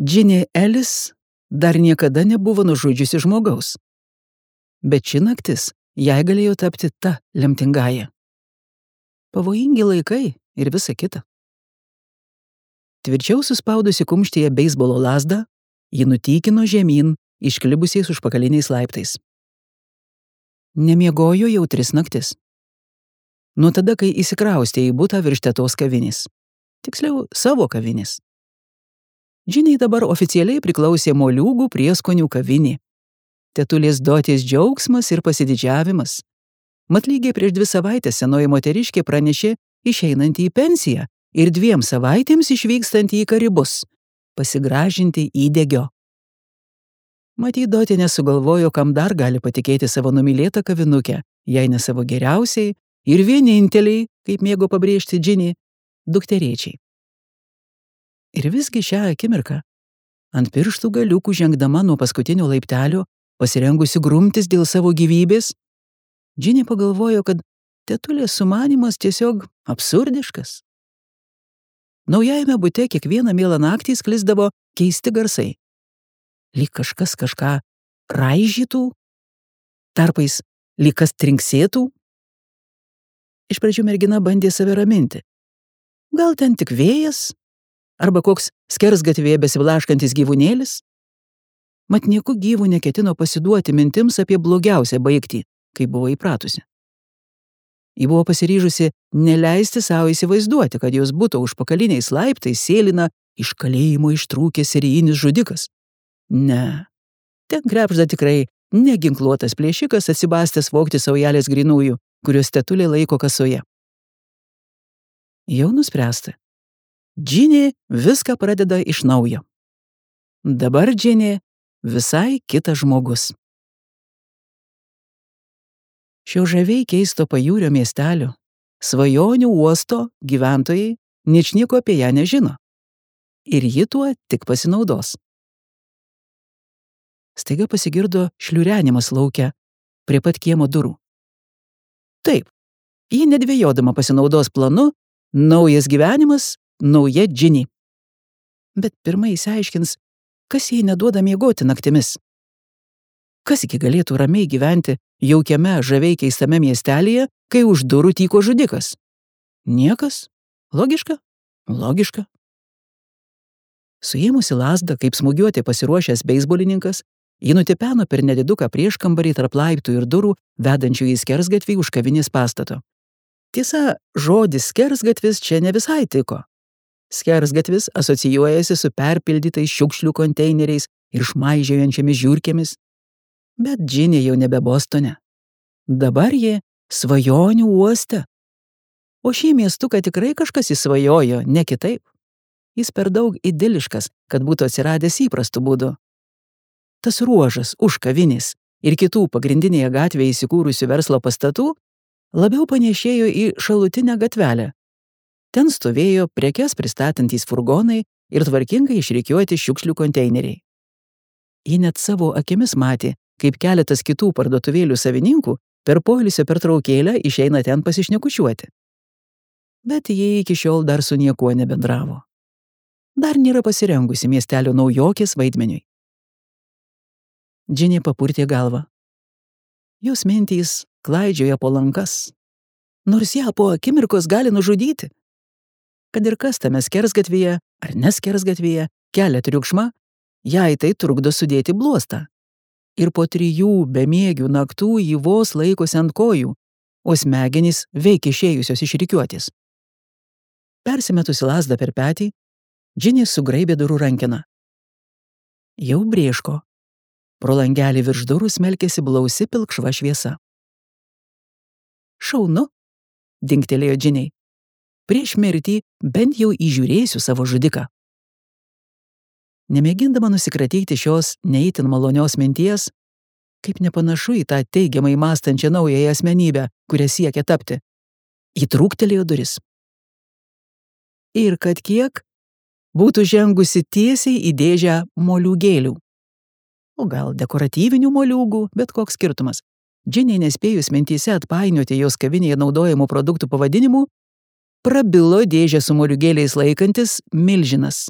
Džinė Elis dar niekada nebuvo nužudžiusi žmogaus. Bet ši naktis jai galėjo tapti ta lemtingąja. Pavojingi laikai ir visa kita. Tvirčiau suspaudusi kumštyje beisbolo lazdą, ji nutykino žemyn išklibusiais užpakaliniais laiptais. Nemiegojo jau 3 naktis. Nuo tada, kai įsikraustė į butą virš tetos kavinės. Tiksliau, savo kavinės. Džiniai dabar oficialiai priklausė moliūgų prieskonių kavinė. Tetulės Dotės džiaugsmas ir pasididžiavimas. Mat lygiai prieš 2 savaitės senoji moteriškė pranešė išeinantį į pensiją ir 2 savaitėms išvykstantį į Karibus, pasigražinti įdegio. Matyt, Dotė nesugalvojo, kam dar gali patikėti savo numylėtą kavinukę, jei ne savo geriausiai ir vieninteliai, kaip mėgo pabrėžti Džinė, dukterėčiai. Ir visgi šią akimirką, ant pirštų galiukų žengdama nuo paskutinio laiptelio, pasirengusi grumtis dėl savo gyvybės, Džinė pagalvojo, kad tetulės sumanymas tiesiog absurdiškas. Naujajame bute kiekvieną mielą naktį sklisdavo keisti garsai. Lyg kažkas kažką raižytų, tarpais lyg kas trinksėtų. Iš pradžių mergina bandė save raminti. Gal ten tik vėjas, arba koks skersgatvėje besiblaškantis gyvūnėlis? Mat nieku gyvų neketino pasiduoti mintims apie blogiausią baigtį, kaip buvo įpratusi. Ji buvo pasiryžusi neleisti savo įsivaizduoti, kad jos buto užpakaliniais laiptais sėlina iš kalėjimo ištrūkęs serijinis žudikas. Ne, ten krepšda tikrai neginkluotas plėšikas atsibastęs vogti saujelės grynųjų, kuriuos tetulė laiko kasoje. Jau nuspręsta. Džinė viską pradeda iš naujo. Dabar Džinė visai kitas žmogus. Šio žaviai keisto pajūrio miestelio, svajonių uosto gyventojai ničnieko apie ją nežino. Ir ji tuo tik pasinaudos. Staiga pasigirdo šliurenimas lauke, prie pat kiemo durų. Taip, ji nedvejodama pasinaudos planu, naujas gyvenimas, nauja Džinė. Bet pirmai išsiaiškins, kas jai neduoda miegoti naktimis. Kasgi galėtų ramiai gyventi jaukiame, žaviai keistame miestelėje, kai už durų tyko žudikas? Niekas? Logiška? Logiška. Suėmusi lazdą, kaip smūgiuoti pasiruošęs beisbolininkas, ji nutipeno per nediduką prieškambarį tarp laiptų ir durų, vedančių į skersgatvį už kavinės pastato. Tiesa, žodis skersgatvis čia ne visai tiko. Skersgatvis asocijuojasi su perpildytais šiukšlių konteineriais ir šmaižiojančiamis žiurkėmis. Bet Džinė jau nebe Bostone. Dabar ji svajonių uoste. O šį miestuką tikrai kažkas įsvajojo, ne kitaip. Jis per daug idiliškas, kad būtų atsiradęs įprastų būdų. Tas ruožas už kavinės ir kitų pagrindinėje gatvėje įsikūrusių verslo pastatų labiau panėšėjo į šalutinę gatvelę. Ten stovėjo prekes pristatantys furgonai ir tvarkingai išrikiuoti šiukšlių konteineriai. Ji net savo akimis matė, kaip keletas kitų parduotuvėlių savininkų per poilsio pertraukėlę išeina ten pasišnekučiuoti. Bet jie iki šiol dar su niekuo nebendravo. Dar nėra pasirengusi miestelio naujokės vaidmeniui. Džinė papurtė galvą. Jos mintys klaidžioja po lankas. Nors ją po akimirkos gali nužudyti. Kad ir kas tame skersgatvėje ar neskersgatvėje kelia triukšmą, jai tai trukdo sudėti bluostą. Ir po 3 bemiegių naktų ji vos laikosi ant kojų, o smegenys veikia išėjusios iš rikiuotės. Persimetusi lazdą per petį, Džinė sugraibė durų rankeną. Jau brėško. Pro langelį virš durų smelkėsi blausi pilkšva šviesa. Šaunu, dingtelėjo Džinė. Prieš mirtį bent jau įžiūrėsiu savo žudiką. Nemėgindama nusikratyti šios neįtin malonios minties, kaip nepanašu į tą teigiamai mąstančią naująją asmenybę, kurią siekia tapti, ji trūktelėjo duris. Ir kad kiek būtų žengusi tiesiai į dėžę moliūgėlių. O gal dekoratyvinių moliūgų, bet koks skirtumas. Džinė nespėjus mintyse atpainioti jos kavinėje naudojamų produktų pavadinimų, prabilo dėžę su moliūgėliais laikantis milžinas.